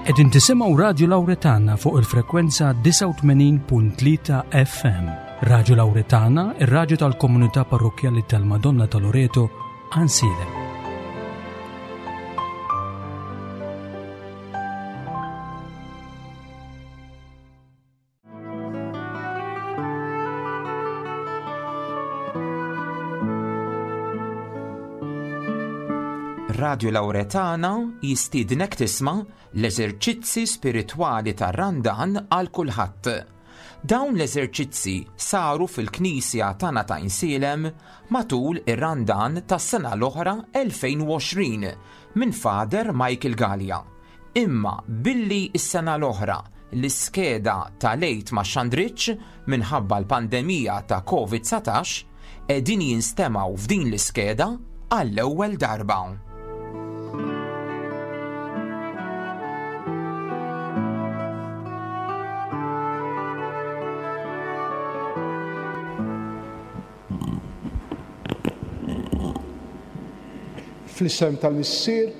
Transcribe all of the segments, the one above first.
Qegħdin tisimgħu Radju Lawretana fuq il-frekwenza 89.3 FM. Radju Lawretana, ir-radju tal-komunità parrokkjali tal-Madonna ta' Loreto, Ansiedem. Radio Lauretana jistiednek tisma' l-eżerċizzi spiritwali tar-Randan għal kulħadd. Dawn l-eżerċizzi saru fil-Knisja tagħna ta' Insielem matul ir-Randan tas-sena l-oħra 2020 minn Father Michael Galea. Imma billi s-sena l-oħra l-iskeda tal-Għid ma xxandritx minħabba l-pandemija ta' Covid 19, qegħdin jinstemgħu f'din l-iskeda għall-ewwel darba. Fl-isem tal-Missier,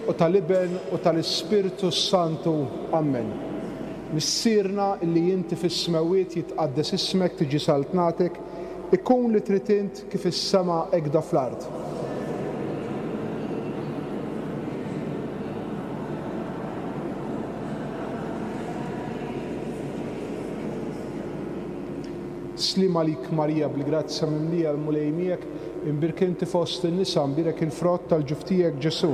u tal-Iben, u tal-Ispirtu s-Santu. Ammen. Missierna illi inti fis-smewwiet jitqaddes ismek tiġi saltnatek, ikun li trid int kif is-sema hekda fl-art. Sliem għalik Marija bil-grazzja mimlija l-Mulej miegħek, imbierka inti fost in-nisa, mbierek il-frott tal-ġuf tiegħek Ġesù.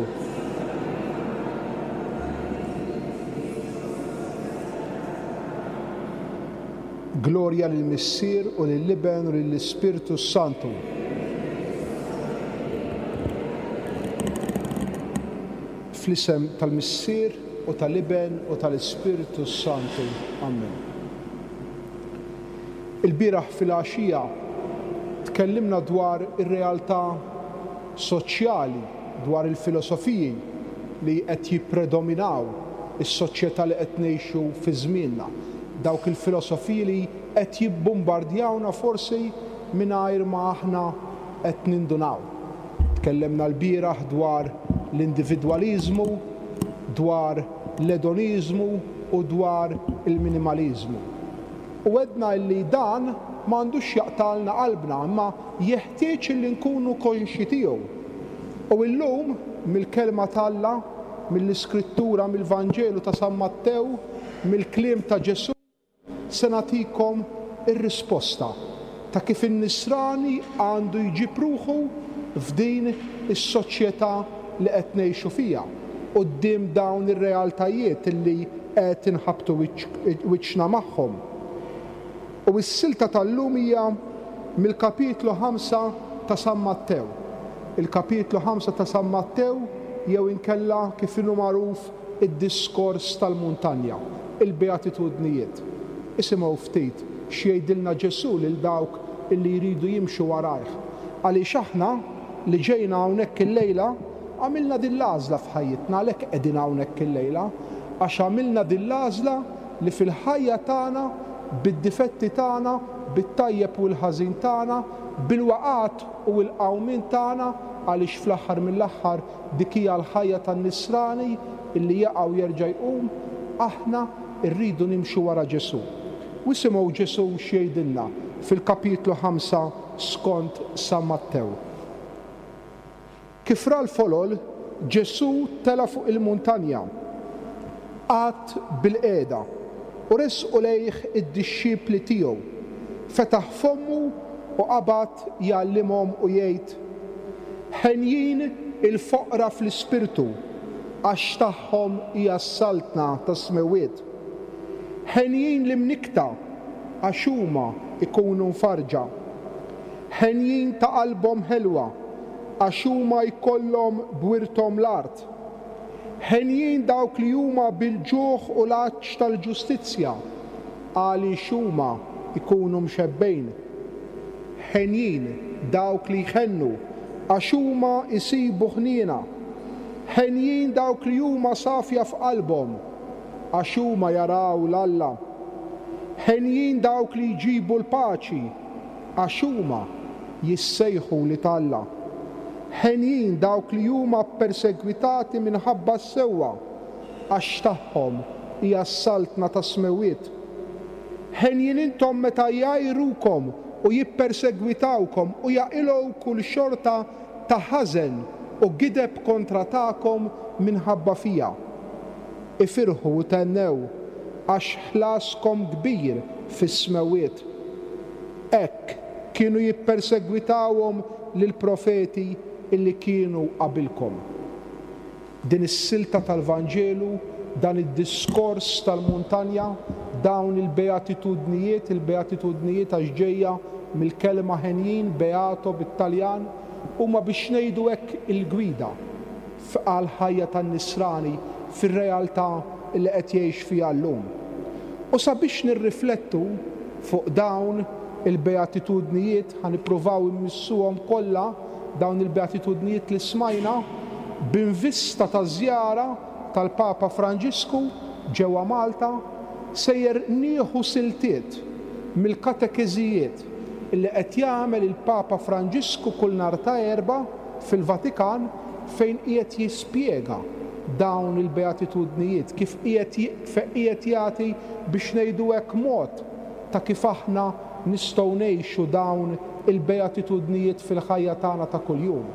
Glorja lill-Missier u lill-Iben u lill-Ispirtu s-Santu. Fl-isem tal-Missier u tal-Iben u tal-Ispirtu s-Santu. Amen. Ilbieraħ filgħaxija tkellimna dwar ir-realtà soċjali, dwar il-filosofiji li qed jippredominaw is-soċjetà li qed ngħixu fi żmienna, dawk il-filosofiji li qed jibbumbardjawna forsi mingħajr ma aħna qed nindunaw. Tkellemna lbieraħ dwar l-individwaliżmu, dwar l-edoniżmu u dwar il-minimaliżmu. U għedna illi dan ma għandux jaqtgħalna qalbna imma jeħtieġ illi nkunu konxji tiegħu. U illum, mill-Kelma t'Alla, mill-Iskrittura, mill-Vanġelu ta' San Mattew, mill-kliem ta' Ġesù, se nagħtikom ir-risposta ta' kif in-Nisrani għandu jġib ruħu f'din is-soċjetà li qed ngħixu fiha, quddiem dawn ir-realtajiet li qed inħabbtu wiċċna magħhom. U s-silta tal-lum hija mill-kapitlu ħamsa ta' San Mattew. Il-kapitlu ħamsa ta' San Mattew jew inkella kif inhu magħruf id-diskors tal-muntanja, il-Beatitudnijiet. Isimgħu ftit x'jgħidilna Ġesù lil dawk illi jridu jimxu warajh. Għaliex aħna, li ġejna hawnhekk illejla, għamilna din l-għażla f'ħajjitna, għalhekk qegħdin hawnhekk illejla, għax għamilna din l-għażla li fil-ħajja tagħna, bid-difetti tagħna, bit-tajjeb u l-ħażin tagħna, bil-waqgħat u l-qawmien tagħna, għaliex fl-aħħar mill-aħħar Dik hija l-ħajja tan-Nisrani illi jaqa' u jerġa' jqum, aħna rridu nimxu wara Ġesù. U isimgħu Ġesù x'jgħidilna fil-kapitlu ħamsa skont San Mattew. Kif ra l-folol, Ġesù tela' fuq il-muntanja, qagħad bilqiegħda, u resqu lejh id-dixxipli tiegħu. Fetaħ fommu u qabad jgħallimhom u jgħid, Henjin il-foqra fl-ispirtu, għax tagħhom hija s-saltna tas-smewwiet. Henjin l-imnikkta, għax huma jkunu mfarrġa. Henjin ta' qalbhom ħelwa, għax huma jkollhom b'wirthom l-art. Henjin dawk li huma bil-ġuħ u l-għatx tal-ġustizzja, għaliex huma jkunu mxebbgħin. Henjin dawk li jħennu, għax huma jsibu ħniena. Henjin dawk li huma safja f'qalbhom, għax huma jaraw 'l Alla. Henjin dawk li jġibu l-paċi, għax huma jissejħu wlied Alla. Henjin dawk li huma ppersegwitati minħabba s-sewwa, għax tagħhom hija s-saltna tas-smewwiet. Henjin intom meta jgħajrukom u jippersegwitawkom u jaqilgħu kull xorta ta' ħażen u gideb kontra tagħkom minħabba fija. Ifirħu u thennew, għax ħlaskom kbir fis-smewwiet. Hekk kienu jippersegwitawhom lill-profeti illi kienu qabilkom. Din is-silta tal-Vanġelu, dan id-diskors tal-muntanja, dawn il-beatitudnijiet, il-beatitudnijiet għax ġejja mill-kelma henjin, beato bit-Taljan, huma biex ngħidu hekk il-gwida għall-ħajja tan-nisrani fir-realtà li qed jgħix fiha llum. U sabiex nirriflettu fuq dawn il-beatitudnijiet, ħa nippruvaw immissuhom kollha, dawn il-beatitudnijiet li smajna, b'invista taż-żjara tal-Papa Franġisku ġewwa Malta, sejjer nieħu siltiet mill-katekeżijiet li qed jagħmel il-Papa Franġisku kull nhar ta' Erbgħa fil-Vatikan fejn qiegħed jispjega dawn il-beatitudnijiet, kif qiegħed fejn qiegħed jagħti biex ngħidu hekk mod ta' kif aħna nistgħu ngħixu dawn il-beatitudnijiet fil-ħajja tagħna ta' kuljum.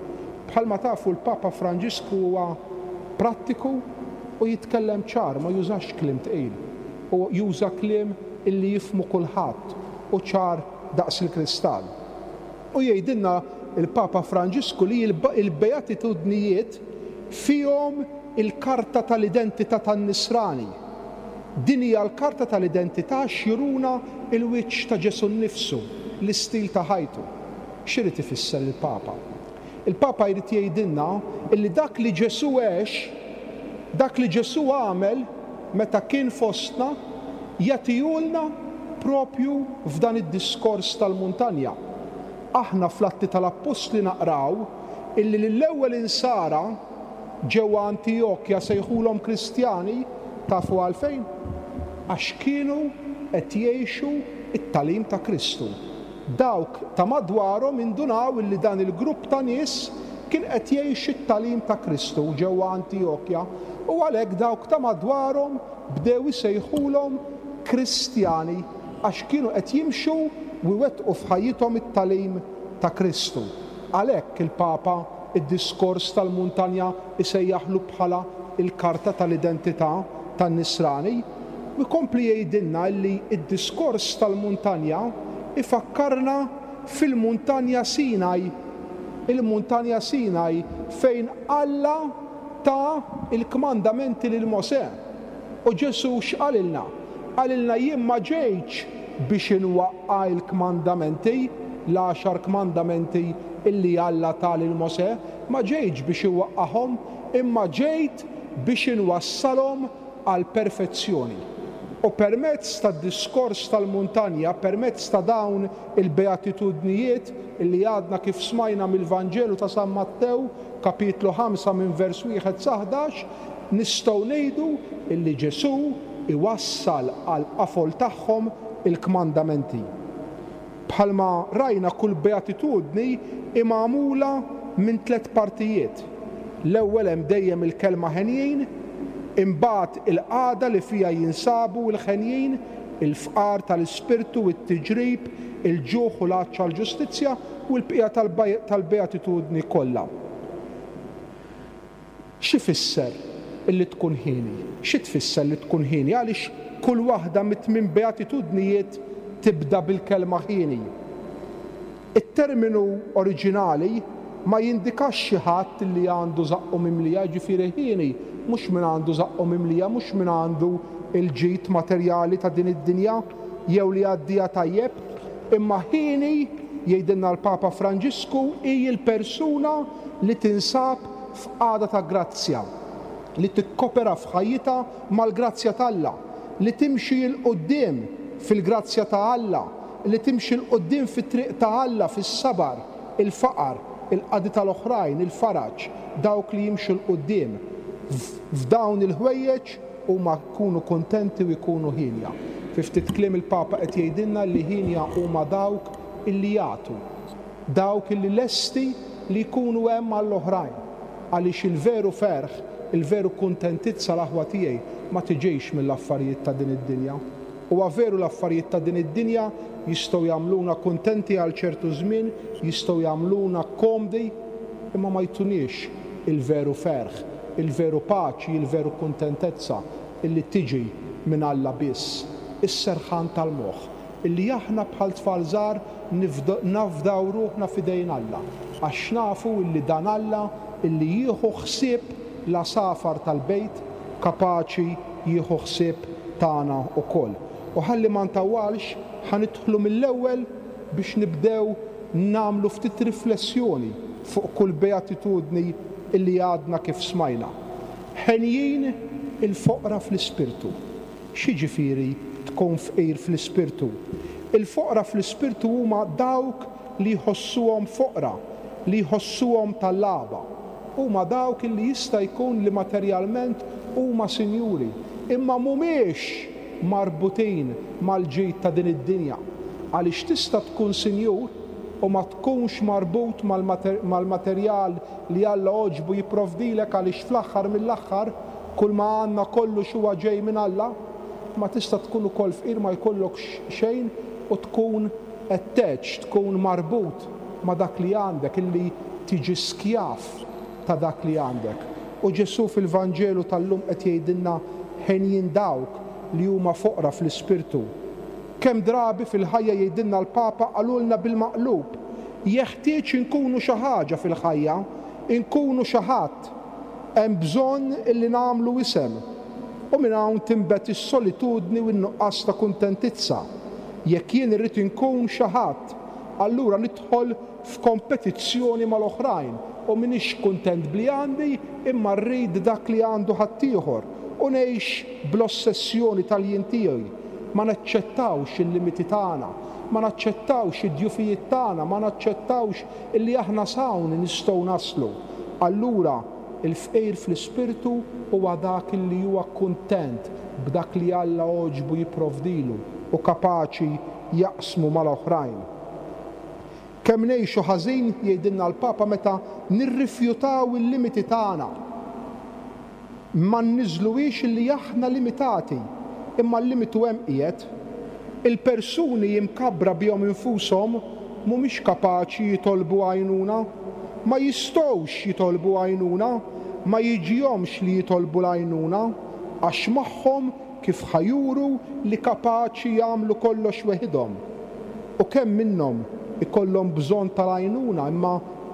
Bħalma tafu l-Papa Franġisku huwa prattiku u jitkellem ċar, ma jużax kliem tqil. U juża kliem illi jifhmu kulħadd u ċar daqs il-kristall. U jgħidilna l-Papa Franġisku li l-beatitudnijiet fihom il-karta tal-identità tan-Nisrani. Din hija l-karta tal-identità għax juruna l-wiċċ ta' Ġesù nnifsu, l-istil ta' ħajtu. X'irid ifisser il-Papa? Il-Papa jrid jgħidilna illi dak li Ġesù għex, dak li Ġesù għamel meta kien fostna, jagħtihulna propju f'dan id-diskors tal-muntanja. Aħna fl-Atti tal-Appostli naqraw illi lill-ewwel insara ġewwa Antijokja sejħulhom Kristjani, tafu għalfejn? Għax kienu qed jgħixu t-tagħlim ta' Kristu. Dawk ta' madwarhom indunaw illi dan il-grupp ta' nies kien qed jgħix it-tagħlim ta' Kristu ġewwa Antijokja u għalhekk dawk ta' madwarhom bdew isejħulhom Kristjani għax kienu qed jimxu u jwettqu f'ħajjithom it-tagħlim ta' Kristu. Għalhekk il-Papa d-diskors tal-muntanja jsejjaħlu bħala l-karta tal-identità tan-Nisrani u jkompli jgħidilna illi d-diskors tal-muntanja jfakkarna fil-muntanja Sinaj, il-muntanja Sinaj fejn Alla ta l-kmandamenti lil Mosè. U Ġesù x'qalilna? Qalilna jien ma ġejtx biex inwaqqa' l-kmandamenti, l-għaxar kmandamenti illi Alla ta lil Mosè, ma ġejtx biex inwaqqagħhom, imma ġejt biex inwassalhom għall-perfezzjoni. U permezz tad-diskors tal-muntanja, permezz ta' dawn il-beatitudnijiet illi għadna kif smajna mill-Vanġelu ta' San Mattew, kapitlu 5 minn vers wieħed sa 11, nistgħu ngħidu illi Ġesù iwassal għall-qafol tagħhom il-kmandamenti. Bħalma rajna kull beatitudni hi magħmula minn tlett partijiet. L-ewwel hemm dejjem il-kelma henjin, imbagħad il-qagħda li fiha jinsabu l-henjin, il-fqar tal-ispirtu, it-tiġrib, il-ġuħ u l-għatx għall-ġustizzja, u l-bqija tal-beatitudni kollha. X'ifisser li tkun hieni? Xi tfisser li tkun hieni? Għaliex kull waħda mit-tmien beatitudnijiet tibda bil-kelma hieni? It-terminu oriġinali ma jindikax xi ħadd li għandu żaqqu mimlija, jiġifieri hieni mhux min għandu żaqqu mimlija, mhux min għandu l-ġid materjali ta' din id-dinja jew li jgħaddiha tajjeb, imma hieni, jgħidilna l-Papa Franġisku, hi l-persuna li tinsab f'qagħda ta' grazzja, li tikkopera f'ħajjitha mal-grazzja t'Alla, li timxi 'l quddiem fil-grazzja ta' Alla, li timxi 'l quddiem fit-triq ta' Alla fis-sabar, il-faqar, il-qadi tal-oħrajn, il-faraġ, dawk li jimxu 'l quddiem f'dawn il-ħwejjeġ huma jkunu kuntenti u jkunu hienja. Fi ftit kliem il-Papa qed jgħidilna li hienja huma dawk illi jagħtu. Dawk li lesti li jkunu hemm għall-oħrajn, għaliex il-veru ferħ Il-veru kuntentizza l-aħwa tiegħi ma tiġix mill-affarijiet ta' din id-dinja. Huwa veru l-affarijiet ta' din id-dinja jistgħu jagħmluna kuntenti għal ċertu żmien, jistgħu jagħmluna komdi, imma ma jtuniex il-veru ferħ, il-veru paċi, il-veru kuntentezza illi tiġi minn Alla biss. Is-serħan tal-moħħ, illi aħna bħal tfal żgħar nafdaw ruħna f'idejn Alla, għax nafu illi dan Alla illi jieħu ħsieb l-għasafar tal-bejt kapaċi jieħu ħsieb tagħna wkoll. U ħalli ma ntawwalx, ħa nidħlu mill-ewwel biex nibdew nagħmlu ftit riflessjoni fuq kull beatitudni illi għadna kif smajna. Henjin il-foqra fl-ispirtu. X'jiġifieri tkun fqir fl-ispirtu? Il-foqra fl-ispirtu huma dawk li jħossuhom foqra, li jħossuhom tallaba. Huma dawk li jista' jkun li materjalment huma sinjuri, imma mhumiex marbutin mal-ġid ta' din id-dinja. Għaliex tista' tkun sinjur u ma tkunx marbut mal-materjal li Alla għoġbu jipprovdilek għaliex fl-aħħar mill-aħħar kull ma għandna kollox huwa ġej minn Alla, imma tista' tkun ukoll fqir ma jkollokx xejn u tkun attached, tkun marbut ma' dak li għandek, illi tiġi skjav ta' dak li għandek. U Ġesù fil-Vanġelu tal-lum qed jgħidilna henjin dawk li huma foqra fl-ispirtu. Kemm drabi fil-ħajja jgħidilna l-Papa qalulna bil-maqlub, jeħtieġ inkunu xi ħaġa fil-ħajja, inkunu xi ħadd. Hemm bżonn illi nagħmlu isem. U minn hawn tinbet is-solitudni u n-nuqqas ta' kuntentizza. Jekk jien irrid inkun xi ħadd, allura nidħol f'kompetizzjoni mal-oħrajn u m'iniex kuntent b'li għandi imma rrid dak li għandu ħaddieħor u ngħix bl-ossessjoni tal-jien tiegħi. Ma naċċettawx il-limiti tagħna, ma naċċettawx id-djufijiet tagħna, ma naċċettawx illi aħna s'hawn nistgħu naslu. Allura, il-fqir fl-ispirtu huwa dak illi huwa kuntent b'dak li Alla għoġbu jipprovdilu u kapaċi jaqsmu mal-oħrajn. Kemm ngħixu ħażin, jgħidilna l-Papa, meta nirrifjutaw il-limiti tagħna. Ma nniżżluhiex illi aħna limitati, imma l-limitu hemm qiegħed. Il-persuni imkabbra bihom infushom mhumiex kapaċi jitolbu għajnuna. Ma jistgħux jitolbu għajnuna, ma jiġihomx li jitolbu l-għajnuna, għax magħhom kif ħa juru li kapaċi jagħmlu kollox weħidhom. U kemm minnhom ikollhom bżonn tal-għajnuna imma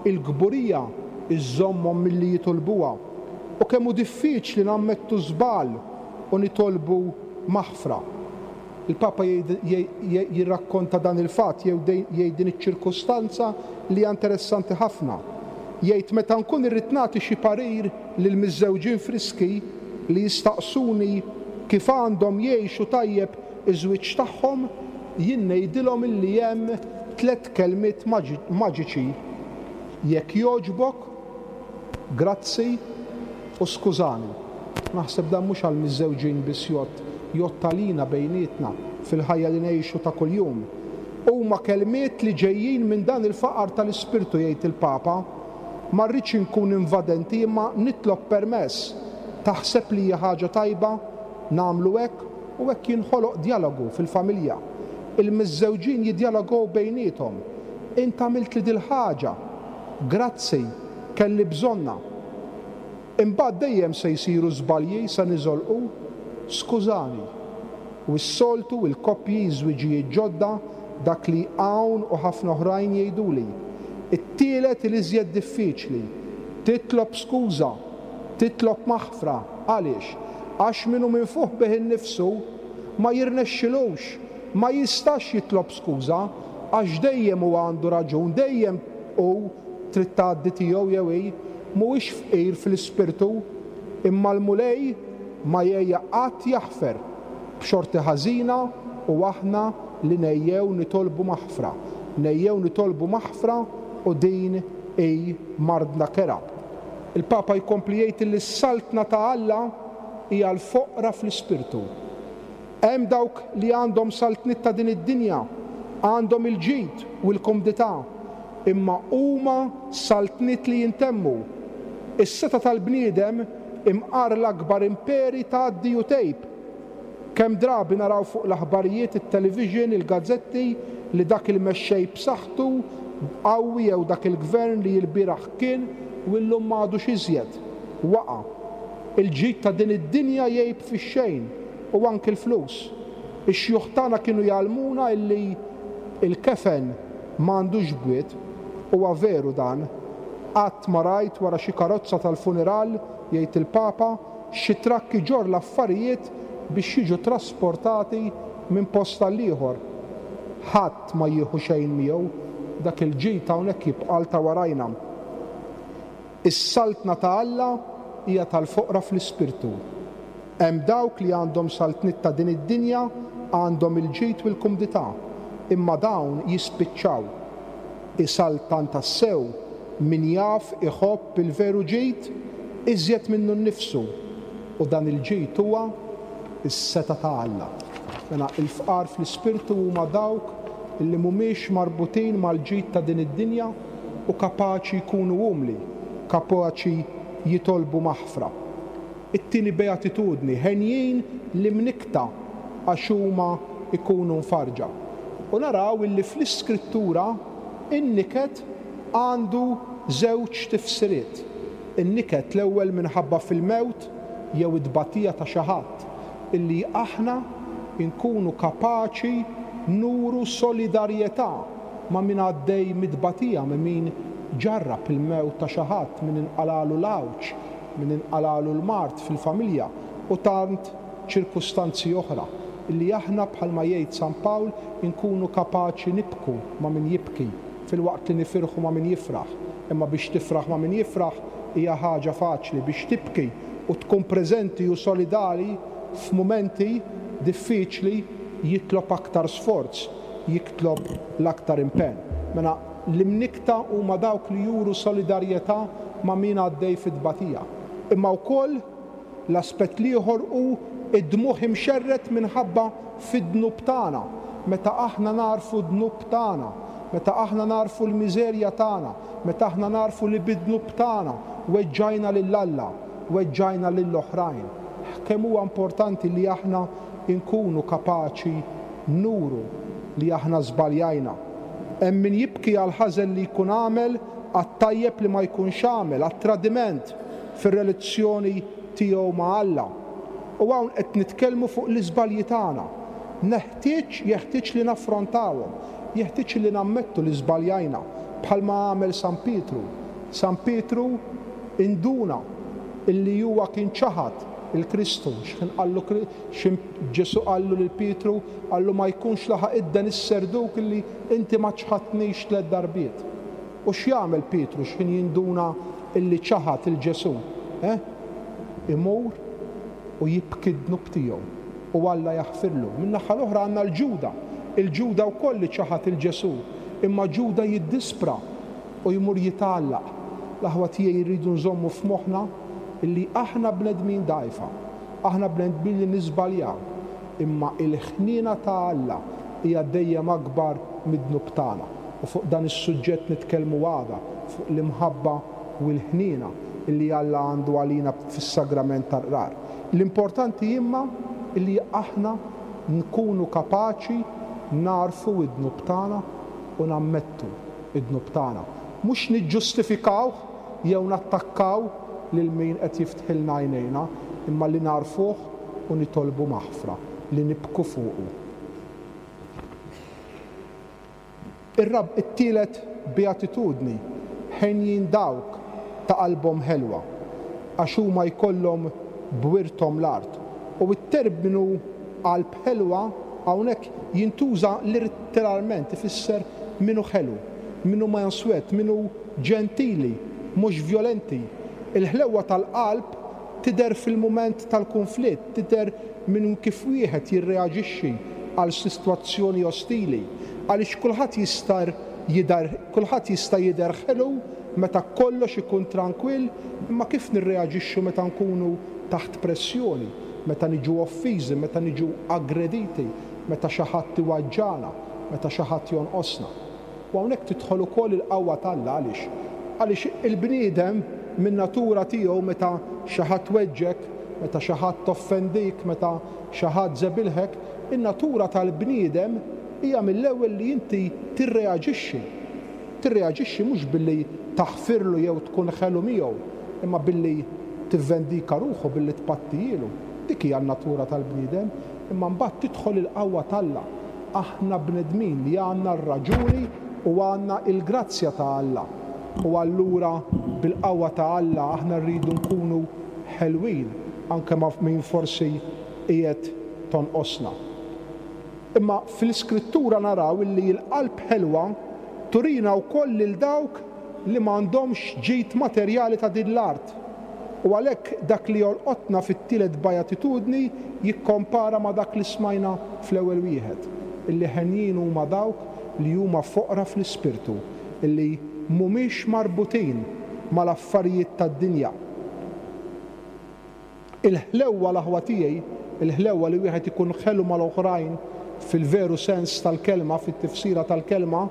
l-kburija żżommhom milli jitolbuha. U kemm hu diffiċli nammettu żball u nitolbu maħfra. Il-Papa jirrakkonta dan il-fatt jew jgħid din iċ-ċirkustanza li hija interessanti ħafna. Jgħid meta nkun irrid nagħti xi parir lil miżżewġin friski li jistaqsuni kif għandhom jgħixu tajjeb iż-żwieġ tagħhom, jien ngħidilhom illi hemm tlett kelmiet maġiċi, Jekk jogħġbok, grazzi u skużani. Naħseb dan mhux għall-miżżewġin biss jgħodd, jgħodd għalina bejnietna fil-ħajja li ngħixu ta' kuljum. Huma kelmiet li ġejjin minn dan il-faqar tal-ispirtu jgħid il-Papa. Ma rridx inkun invadenti imma nitlob permess. Taħseb li hija ħaġa tajba nagħmlu hekk? U hekk jinħoloq djalogu fil-familja. Il-miżżewġin jiddjalogow bejniethom. Int għamiltli dil-ħaġa. Grazzi, kelli bżonnha. Imbagħad dejjem se jsiru żbalji, se niżolqu. Skużani. U s-soltu, il-koppji, iż-żwiġijiet ġodda, dak li hawn u ħafna oħrajn jgħiduli. It-tielet il-iżjed diffiċli. Titlob skuża. Titlob maħfra. Għaliex? Għax min hu minfuħ bih innifsu ma jirnexxilux, ma jistax jitlob skuża għax dejjem hu għandu raġun, dejjem hu trid tgħaddi tiegħu jew hi, mhuwiex fqir fl-ispirtu, imma l-Mulej ma jgħejja qatt jaħfer, b'xorti ħażina u aħna li ngħejjew nitolbu maħfra, ngħejjew nitolbu maħfra u din hi mardna kerha. Il-Papa jkompli jgħid li s-Saltna ta' Alla hi għall-foqra fl-ispirtu. Hemm dawk li għandhom saltniet ta' din id-dinja, għandhom il-ġid u l-kumdità, imma huma saltniet li jintemmu. Is-setgħa tal-bniedem Imqar l-akbar imperi tgħaddi u tgħib. Kemm drabi naraw fuq l-aħbarijiet, it-television, il-gazzetti li dak il-mexxej b'saħħtu, qawwi jew dak il-gvern li ilbieraħ kien u illum m'għadux iżjed, waqa'. Il-ġid ta' din id-dinja jgħib fix-xejn u anki l-flus. Ix-xjuħ tagħna kienu jgħallmuna illi l-kefen m'għandux bwiet. Huwa veru dan. Qatt ma rajt wara xi karozza tal-funeral, jgħid il-Papa, xi trakk iġorr l-affarijiet biex jiġu trasportati minn post għal ieħor. Ħadd ma jieħu xejn miegħu, dak il-ġid hawnhekk jibqa' għal ta' warajna. Is-Saltna ta' Alla hija tal-foqra fl-ispirtu. Hemm dawk li għandhom saltniet ta' din id-dinja, għandhom il-ġid u l-kumdità, imma dawn jispiċċaw. Isaltan tassew min jaf iħobb il-veru ġid iżjed minnu nnifsu, u dan il-ġid huwa s-setgħa ta' Alla. Mela, il-fqar fl-ispirtu huma dawk li mhumiex marbutin mal-ġid ta' din id-dinja u kapaċi jkunu umli, kapaċi jitolbu maħfra. It-tieni beatitudni, henjin l-imnikkta għax huma jkunu mfarrġa. U naraw illi fl-Iskrittura in-niket għandu żewġ tifsiriet. In-niket l-ewwel minħabba fil-mewt jew it-tbatija ta' xi ħadd, illi aħna nkunu kapaċi nuru solidarjetà ma' min għaddej mit-tbatija, ma' min ġarrab il-mewt ta' xi ħadd, min inqalagħlu l-għawġ, min inqalagħlu l-mard fil-familja u tant ċirkustanzi oħra, illi aħna bħalma jgħid San Pawl inkunu kapaċi nibku ma' min jibki filwaqt li nifirħu ma' min jifraħ. Imma biex tifraħ ma' min jifraħ hija ħaġa faċli, biex tibki u tkun preżenti u solidali f'mumenti diffiċli jitlob aktar sforz, jitlob l-aktar impenn. Mela L-imnikkta huma dawk li juru solidarjetà ma' min għaddej fit-tbatija. Imma wkoll l-aspett l-ieħor hu d-dmugħ imxerred minħabba fid-dnub tagħna, meta aħna nagħrfu d-dnub tagħna, meta aħna nagħrfu l-miżerja tagħna, meta aħna nagħrfu li bid-dnub tagħna weġġajna lil Alla, weġġajna lil oħrajn. Kemm huwa importanti li aħna nkunu kapaċi nuru li aħna żbaljajna. Hemm min jibki għall-ħażen li jkun għamel, għat-tajjeb li ma jkunx għamel, għat-tradiment fir-relizzjoni tiegħu ma' Alla. U hawn qed nitkellmu fuq l-iżbalji tagħna. Neħtieġ, jeħtieġ li naffrontawhom. Jeħtieġ li nammettu li żbaljajna, bħalma għamel San Pietru. San Pietru induna illi huwa kien ċaħad il-Kristu, x'ħin qallu Xi Ġesù qallu lil Pietru, qallu ma jkunx laħaq idden is-serduk illi inti ma ċħadtnix tlett darbiet. U x'jagħmel Pietru x'ħin jinduna illi ċaħad 'il Ġesù? Eh? Imur u jibki d-dnub tiegħu u Alla jaħfirlu. Min-naħa l-oħra għandna 'l Ġuda. Il Ġuda wkoll li ċaħad 'il Ġesù. Imma Ġuda jiddispra u jmur jitgħallaq. L-aħwa tiegħi rridu nżommu f'moħħna illi aħna bnedmin dgħajfa. Aħna bnedmin li niżbaljaw, imma il-ħniena ta' Alla hija dejjem akbar mid-dnub tagħna. U fuq dan is-suġġett nitkellmu għada, fuq l-imħabba u l-ħniena li Alla għandu għalina fis-sagrament tal-Qrar. L-importanti imma li aħna nkunu kapaċi nagħrfu d-dnub tagħna u nammettu d-dnub tagħna. Mhux niġġustifikawh jew nattakkaw lil min qed jiftħilna għajnejna, imma li nagħrfuh u nitolbu maħfra, li nibku fuqu. Ir-rab it-tielet beatitudni, Henjin dawk ta' qalbhom ħelwa, għax huma jkollhom b'wirthom l-art. U t-terminu qalb ħelwa hawnhekk jintuża litteralment, ifisser min hu ħelu, min hu manswet, min hu ġentili, mhux vjolenti. Il-ħlewwa tal-qalb tidher fil-mument tal-kunflitt, tidher minn kif wieħed jirreaġixxi għal sitwazzjoni ostili. Għaliex kulħadd jista' jidher kulħadd jista' jidher ħelu meta kollox ikun trankwill, imma kif nirreaġixxu meta nkunu taħt pressjoni, meta niġu offiżi, meta niġu aggrediti, meta xi ħadd iwaġġagħna, meta xi ħadd jonqosna? U hawnhekk tidħol ukoll il-qawwa t'Alla. Għaliex? Għaliex il-bniedem min-natura tiegħu meta xi ħadd weġġgħek, meta xi ħadd offendik, meta xi ħadd żebilħek, in-natura tal-bniedem hija mill-ewwel li inti tirreaġixxi. Tirreaġixxi mhux billi taħfirlu jew tkun ħelu miegħu, imma billi tivvendika ruħu, billi tpattijielu. Dik hija n-natura tal-bniedem. Imma mbagħad tidħol il-qawwa t'Alla. Aħna bnedmin li għandna r-raġuni u għandna l-grazzja ta' Alla. U allura bil-qawwa ta' Alla aħna rridu nkunu ħelwin anke ma' min forsi qiegħed tonqosna. Imma fl-Iskrittura naraw illi l-qalb ħelwa turina wkoll lil dawk li m'għandhomx ġid materjali ta' din l-art. U għalhekk dak li jolqotna fit-tielet Beatitudni jikkompara ma' dak li smajna fl-ewwel wieħed, illi henjin huma dawk li huma foqra fl-ispirtu, illi mhumiex marbutin mal-affarijiet tad-dinja. Il-ħlewwa, l-aħwa tiegħi, il-ħlewwa li wieħed ikun ħelu mal-oħrajn fil-veru sens tal-kelma, fit-tifsira tal-kelma,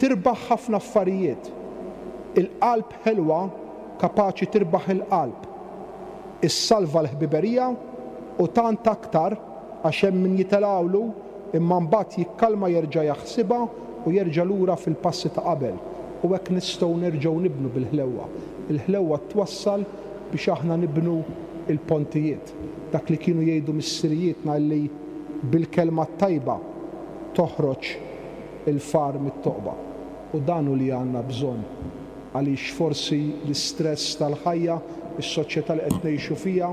tirbaħ ħafna affarijiet. Il-qalb ħelwa kapaċi tirbaħ il-qalb. Issalva l-ħbiberija u tant aktar għax hemm min jitelgħulu imma mbagħad jikkalma jerġa' jaħsibha u jerġa' lura fil-passi ta' qabel. U hekk nistgħu nerġgħu nibnu bil-ħlewwa. Il-ħlewwa twassal biex aħna nibnu l-pontijiet. Dak li kienu jgħidu missirijietna illi bil-kelma t-tajba toħroġ il-far mit-toqba. U dan hu li għandna bżonn għaliex forsi l-istress tal-ħajja, is-soċjetà li qed ngħixu fiha,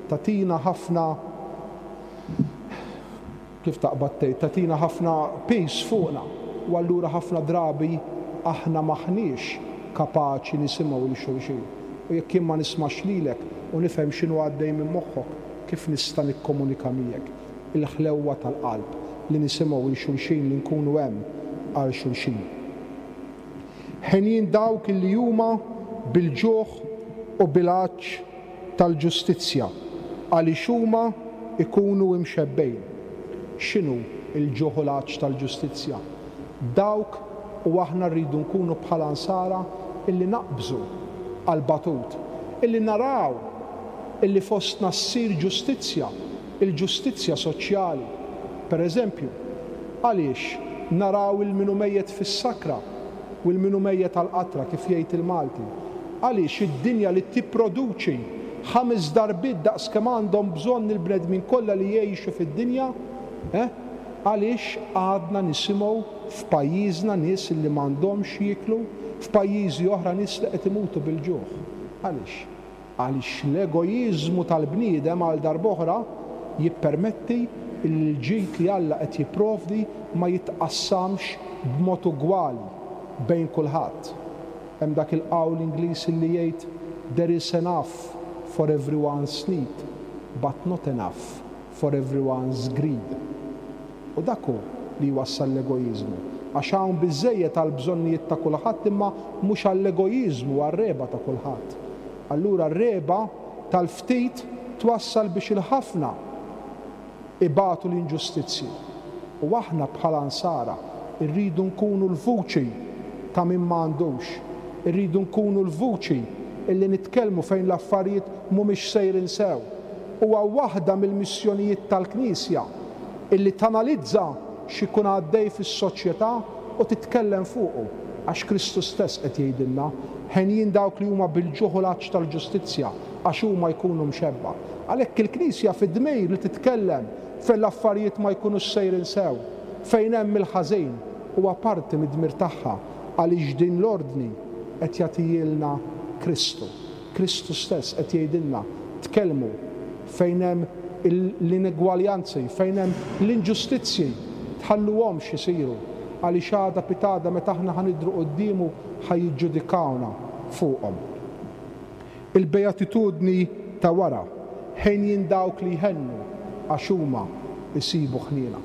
tagħtina ħafna, kif taqbad tgħid, tagħtina ħafna piż fuqna u allura ħafna drabi aħna m'aħniex kapaċi nisimgħu lil xulxin. U jekk jien ma nismax lilek u nifhem x'inhu għaddej minn moħħok, kif nista' nikkomunika miegħek? Il-ħlewwa tal-qalb, li nisimgħu 'l xulxin, li nkunu hemm għal xulxin. Henjin dawk li huma bil-ġuħ u bil-għatx tal-ġustizzja, għaliex huma jkunu imxebbgħin. X'inhu l-ġuħ u l-għatx tal-ġustizzja? Dawk, u aħna rridu nkunu bħala Nsara illi naqbżu għall-batut, illi naraw illi fostna ssir ġustizzja, il-ġustizzja soċjali. Per eżempju, għaliex naraw 'il min hu mejjet fis-sakra u 'l min hu mejjet għall-qatra, kif jgħid il-Malti? Għaliex id-dinja li tipproduċi ħames darbiet daqs kemm għandhom bżonn il-bnedmin kollha li jgħixu fid-dinja, eh? Għaliex għadna nisimgħu f'pajjiżna nies li m'għandhomx x'jieklu, f'pajjiżi oħra nies li qed imutu bil-ġuħ? Għaliex? Għaliex l-egoiżmu tal-bniedem għal darb'oħra jippermetti li l-ġid li Alla qed jipprovdi ma jitqassamx b'mod ugwali bejn kulħadd. Hemm dak il-qawl Ingliż li jgħid There is enough for everyone's need, but not enough for everyone's greed. U dak hu li jwassal l-egoiżmu. Għax hawn biżżejjed għall-bżonnijiet ta' kulħadd imma mhux għall-egoiżmu, għar-regħba ta' kulħadd. Allura r-regħba tal-ftit twassal biex il-ħafna ibatu l-inġustizzji. U aħna bħala Nsara rridu nkunu l-vuċi ta' min ma għandux. Irridu nkunu l-vuċi illi nitkellmu fejn l-affarijiet mhumiex sejrin sew. Huwa waħda mill-missjonijiet tal-Knisja illi tanalizza x'ikun għaddej fis-soċjetà u titkellem fuqu. Għax Kristu stess qed jgħidilna, Henjin dawk li huma bil-ġuħ u l-għatx tal-ġustizzja, għax huma jkunu mxebba. Għalhekk il-Knisja fid-dmir li titkellem fejn l-affarijiet ma jkunux sejrin sew, fejn hemm il-ħażin, huwa parti mid-dmir tagħha għaliex din l-ordni qed jagħtihielna Kristu. Kristu stess qed jgħidilna, tkellmu fejn hemm l-inegwaljanzi, fejn hemm l-inġustizzji, tħalluhomx isiru, għaliex għada pitgħada meta aħna ħa nidhru quddiemu ħa jiġġudikawna fuqhom. Il-beatitudni ta' wara, Henjin dawk li jħennu, għax huma jsibu ħniena.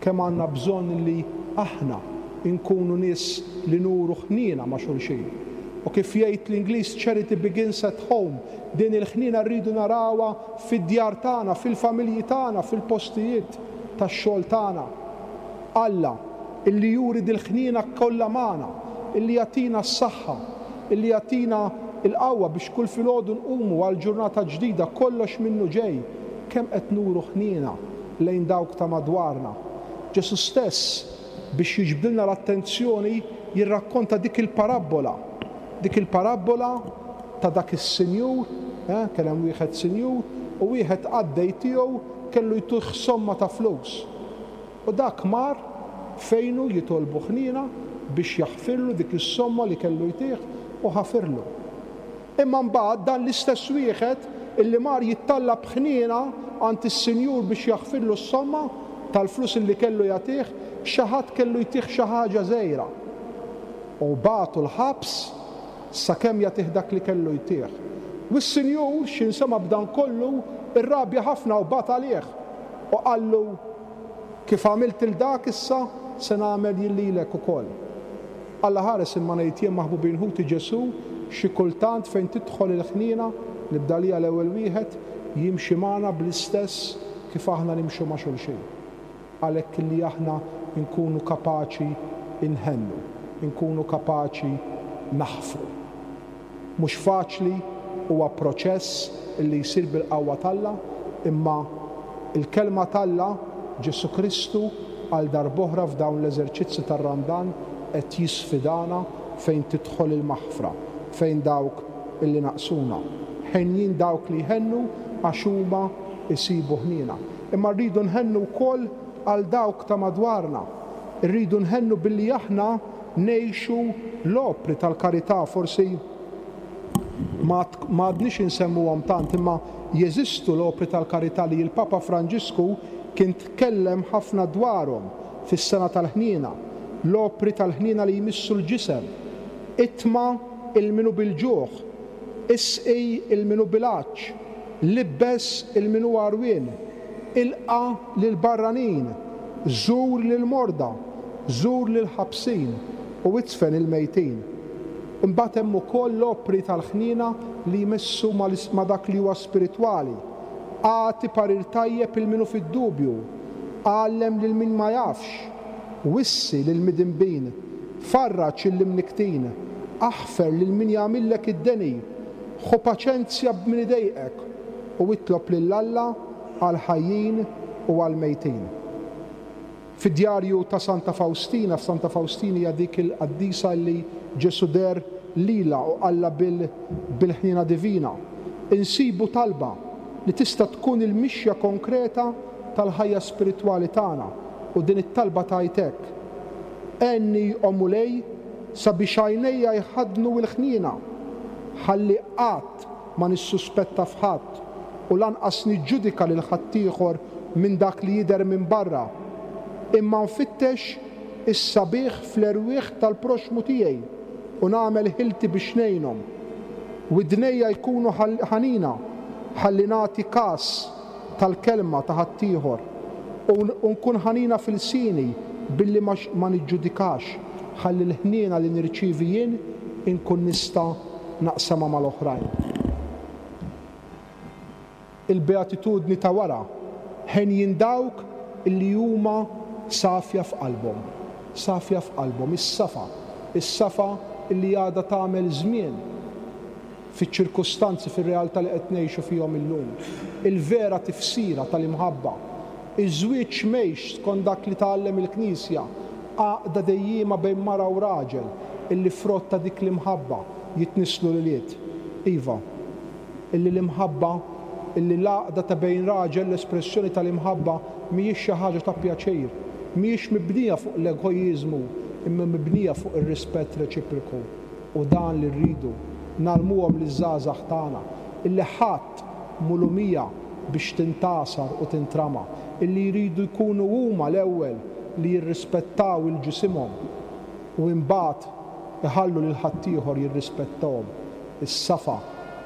Kemm għandna bżonn li aħna nkunu nies li nuru ħniena ma' xulxin. U kif jgħid l-Ingliż charity begins at home, din il-ħniena rridu narawha fid-djar tagħna, fil-familji tagħna, fil-postijiet tax-xogħol tagħna. Alla, illi juri dil-ħniena kollha magħna, illi jagħtina s-saħħa. illi jagħtina l-qawwa biex kull filgħodu nqumu għal ġurnata ġdida, kollox minnu ġej. Kemm qed nuru ħniena lejn dawk ta' madwarna? Ġesù stess, biex jiġbdilna l-attenzjoni, jirrakkonta dik il-parabbola, dik il-parabbola ta' dak is-sinjur, eh, kien hemm wieħed sinjur u wieħed qaddej tiegħu kellu jtuh somma ta' flus. U dak mar fejnu jitolbu ħniena biex jaħfirlu dik is-somma li kellu jtih u ħafirlu. Imma mbagħad dan l-istess wieħed illi mar jittallab ħniena għand is-sinjur biex jaħfirlu s-somma tal-flus illi kellu jagħtih, xi ħadd kellu jtih xi ħaġa żgħira. U bagħtu l-ħabs sakemm jagħtih dak li kellu jtih. U s-sinjur, x'ħin sema' b'dan kollu, irrabja ħafna u bagħat għalih u qallu, Kif għamilt 'il dak issa se nagħmel jien lilek ukoll. Alla ħares imma ngħid jien maħbubin ħuti Ġesù xi kultant fejn tidħol il-ħniena, nibda għalija l-ewwel wieħed, jimxi magħna bl-istess kif aħna nimxu ma' xulxin. Għalhekk illi aħna nkunu kapaċi nħennu, inkunu kapaċi naħfru. Mhux faċli, huwa proċess illi jsir bil-qawwa t'Alla, imma l-Kelma t'Alla, Ġesù Kristu, għal darb'oħra f'dawn l-eżerċizzi tar-Randan qed jisfidana fejn tidħol il-maħfra, fejn dawk illi naqsuna. Henjin dawk li jħennu għax huma jsibu ħniena. Imma rridu nħennu wkoll għal dawk ta' madwarna. Irridu nħennu billi aħna ngħixu l-opri tal-karità, forsi ma għadniex insemmuhom tant, imma jeżistu l-opri tal-karità li l-Papa Franġisku kien tkellem ħafna dwarhom fis-Sena tal-Ħniena, l-opri tal-ħniena li jmissu l-ġisem, itma' 'l min hu bil-ġuħ, isqi 'l min hu bil-għatx, libbes 'il min hu għarwien, ilqa' lill-barranin, żur lill-morda, żur lill-ħabsin u idfen il-mejtin. Imbagħad hemm ukoll l-opri tal-ħniena li jmissu ma' dak li huwa spiritwali. Agħti parir tajjeb 'il min hu fid-dubju, għallem lil min ma jafx, wissi lill-midinbin, farraġ lill-imnikktin, aħfer lil min jagħmillek id-deni, ħu paċenzja b'min idejqek, u itlob lil Alla għall-ħajjin u għall-mejtin. Fid-djarju ta' Santa Fawstina, Santa Fawstina hija dik il-qaddisa li Ġesù deher lilha u qallha bil-ħniena divina, insibu talba li tista' tkun il-mixja konkreta tal-ħajja spiritwali tagħna u din it-talba tgħid hekk, Għenni, o Mulej, sabiex għajnejja jħaddnu l-ħniena, ħalli qatt ma nissuspetta f'ħadd u lanqas niġġudika lil ħaddieħor minn dak li jidher minn barra, imma nfittex is-sabiħ fl-erwieħ tal-proxxmu tiegħi u nagħmel ħilti biex ngħinhom. Widnejja jkunu ħanina ħalli nagħti kas tal-kelma ta' ħaddieħor u nkun ħanina f'ilsieni billi ma niġġudikax ħalli l-ħniena li nirċievi jien inkun nista' naqsamha mal-oħrajn. Il-beatitudni ta' wara, henjin dawk li huma safja f'qalbhom. Safja f'qalbhom, is-safa, is-safa li għadha tagħmel żmien fiċ-ċirkustanzi, fir-realtà li qed ngħixu fihom illum. Il-vera tifsira tal-imħabba. Iż-żwieġ mheix skont dak li tgħallem il-Knisja, għaqda dejjiema bejn mara u raġel illi frott ta' dik l-imħabba jitnisslu l-ulied. Iva, illi l-imħabba, illi l-għaqda ta' bejn raġel, l-espressjoni tal-imħabba mhijiex xi ħaġa ta' pjaċir, mhijiex mibnija fuq l-egoiżmu imma mibnija fuq ir-rispett reċiproku. U dan li rridu ngħallmuhom liż-żgħażagħ tagħna, illi ħadd mhu lumija biex tintgħasar u tintrama, illi jridu jkunu huma l-ewwel li jirrispettaw 'il ġisimhom u imbagħad iħallu lil ħaddieħor jirrispettahom. Is-safa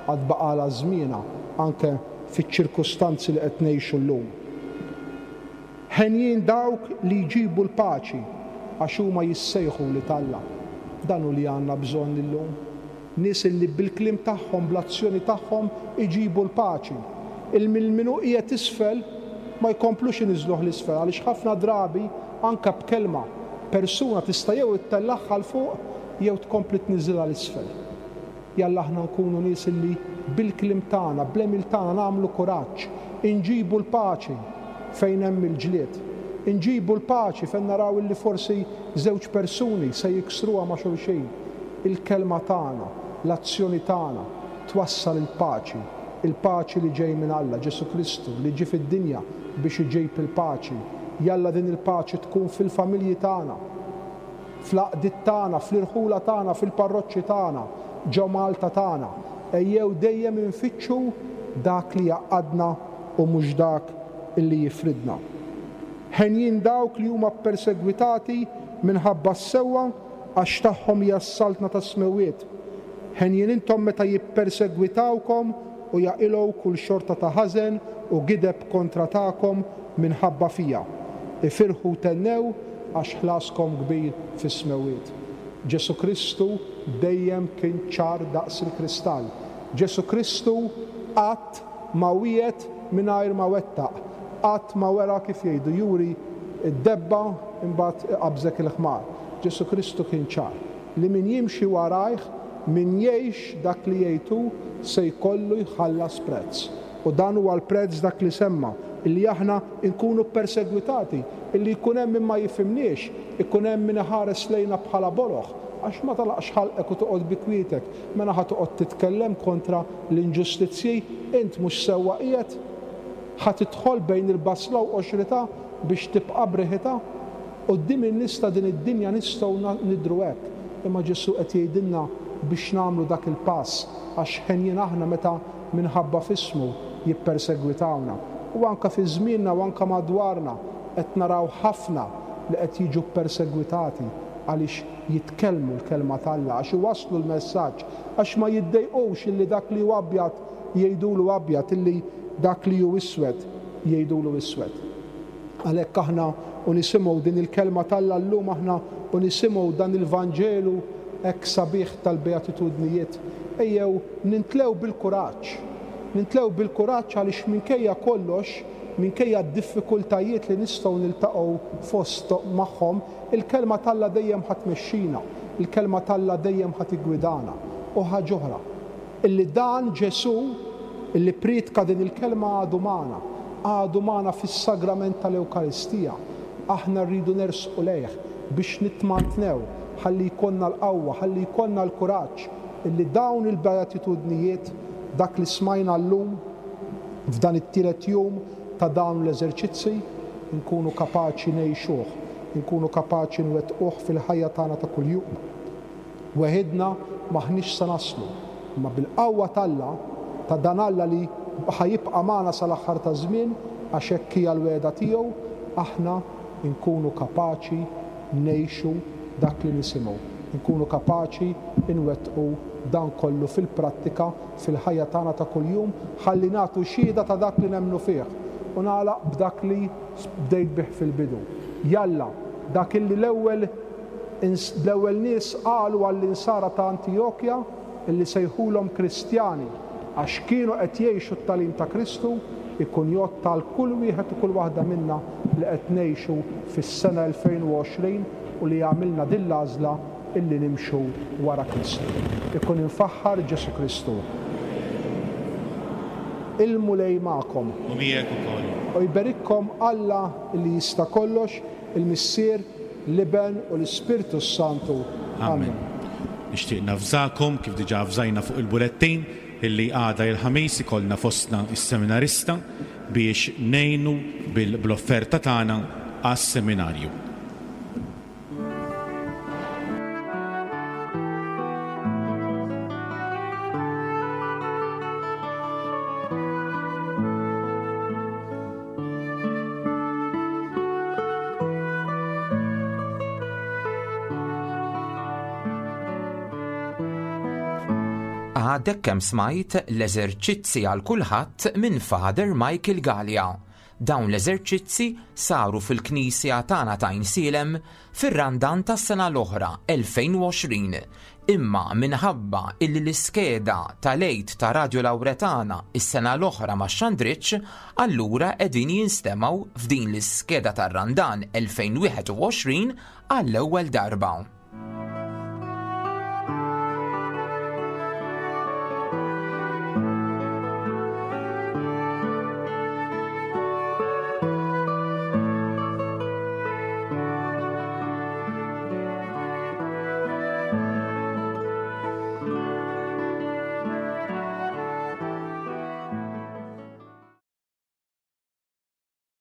għad baqgħalha żmienha anke fiċ-ċirkustanzi li qed ngħixu llum. Henjin dawk li jġibu l-paċi, għax huma jissejħu wlied Alla. Dan hu li għandna bżonn illum. Nies illi bil-kliem tagħhom, bl-azzjoni tagħhom iġibu l-paċi. Il minn min hu qiegħed isfel ma jkomplux iniżżluh 'l isfel għaliex ħafna drabi anke b'kelma persuna tista' jew ittellagħha 'l fuq jew tkompli tniżżilha 'l isfel. Jalla aħna nkunu nies illi bil-kliem tagħna, bl-għemil tagħna nagħmlu kuraġġ, inġibu l-paċi fejn hemm il-ġlied. Inġibu l-paċi fejn naraw illi forsi żewġ persuni se jiksruha ma' xulxin. Il-kelma tagħna, l-azzjoni tagħna twassal il-paċi, il-paċi li ġej minn Alla, Ġesù Kristu li ġie fid-dinja biex iġib il-paċi. Jalla din il-paċi tkun fil-familji tagħna. fl-għaqdiet tagħna, fl-irħula tagħna, fil-parroċċi tagħna, ġo Malta tagħna. Ejjew dejjem infittxu dak li jgħaqqadna u mhux dak li jifridna. Henjin dawk li huma ppersegwitati minħabba s-sewwa għax tagħhom hija s-saltna tas-smewwiet. Henjin intom meta jippersegwitawkom u jaqilgħu kull xorta ta' ħażen u gideb kontra tagħkom minħabba fija. Ifirħu u thennew għax ħlaskom kbir fis-smewwiet. Ġesù Kristu dejjem kien ċar daqs il-kristall. Ġesù Kristu qatt ma wiegħed mingħajr ma wettaq. Qatt ma wera kif jgħidu juri d-debba imbagħad iqabbżek il-ħmar. Ġesù Kristu kien ċar li min jimxi warajh, min jgħix dak li jgħid hu, se jkollu jħallas prezz. U dan huwa l-prezz dak li semma, illi aħna nkunu ppersegwitati, illi jkun hemm min ma jifhimniex, ikun hemm min iħares lejna bħala boloh, għax ma tagħlaqx ħalqek u toqgħod bi kwietek, mela ħa toqgħod titkellem kontra l-inġustizzji, int mhux sewwa qiegħed? Ħa tidħol bejn il-basla u qoxritha biex tibqa' b'riħitha? Quddiem in-nies ta' din id-dinja nistgħu nidhru hekk, imma Ġesù qed jgħidilna biex nagħmlu dak il-pass, għax henjin aħna meta minħabba f'ismu jippersegwitawna. U anke fi żmienna u anke madwarna qed naraw ħafna li qed jiġu ppersegwitati għaliex jitkellmu l-Kelma t'Alla, għax iwasslu l-messaġġ, għax ma jiddejqux illi dak li hu abjad jgħidulu abjad, illi dak li hu iswed jgħidulu iswed. Għalhekk aħna u nisimgħu din il-Kelma t'Alla llum aħna u nisimgħu dan il-Vanġelu hekk sabiħ tal-Beatitudnijiet, ejjew nintlew bil-kuraġġ. Nintlew bil-kuraġġ għaliex minkejja kollox, minkejja d-diffikultajiet li nistgħu niltaqgħu fost magħhom, il-Kelma t'Alla dejjem ħa tmexxina, il-Kelma t'Alla dejjem ħa tiggwidana. U ħaġ'oħra, Illi dan Ġesù, illi ppriedka din il-kelma għadu magħna, għadu magħna fis-sagrament tal-Ewkaristija. Aħna rridu nersqu lejh biex nitmantnew ħalli jkollna l-qawwa, ħalli jkollna l-kuraġġ illi dawn il-beatitudnijiet, dak li smajna llum f'dan it-tielet jum ta' dawn l-eżerċizzi, inkunu kapaċi ngħixuh, inkunu kapaċi nwettquh fil-ħajja tagħna ta' kuljum. Weħidna m'aħniex se naslu, imma bil-qawwa t'Alla, ta' dan Alla li ħa jibqa' magħna sal-aħħar taż-żmien, għax hekk hija l-wegħda tiegħu, aħna nkunu kapaċi ngħixu dak li nisimgħu, inkunu kapaċi nwettqu dan kollu fil-prattika, fil-ħajja tagħna ta' kuljum, ħalli nagħtu xhieda ta' dak li nemmnu fih. U nagħlaq b'dak li bdejt bih fil-bidu. Jalla, dak illi l-ewwel L-ewwel nies qalu għall-Insara ta' Antijokja li sejħulhom Kristjani għax kienu qed jgħixu t-tagħlim ta' Kristu, ikun jgħodd għal kull wieħed u kull waħda minna li qed ngħixu fis-sena 2020 u li għamilna din l-għażla illi nimxu wara Kristu. Ikun imfaħħar Ġesù Kristu. Il-Mulej magħkom. U miegħek ukoll. U jberikkom Alla li jista' kollox, il-Missier, l-Iben u l-Ispirtu s-Santu. Amen. Nixtieq navżakom, kif diġà avżajna fuq il-bulettin, illi għada il-Ħamis ikollna fostna s-seminarista biex ngħinu bl-offerta tagħna għas-seminarju. Għadek kemm smajt l-eżerċizzi għal kulħadd minn Father Michael Galea. Dawn l-eżerċizzi saru fil-Knisja tagħna ta' Għajnsielem fir-Randan tas-sena l-oħra 2020, imma minħabba illi l-iskeda tal-Għid ta' Radio Lauretana s-sena l-oħra ma xxandritx, allura qegħdin jinstemgħu f'din l-iskeda tar-Randan 2021 għall-ewwel darba.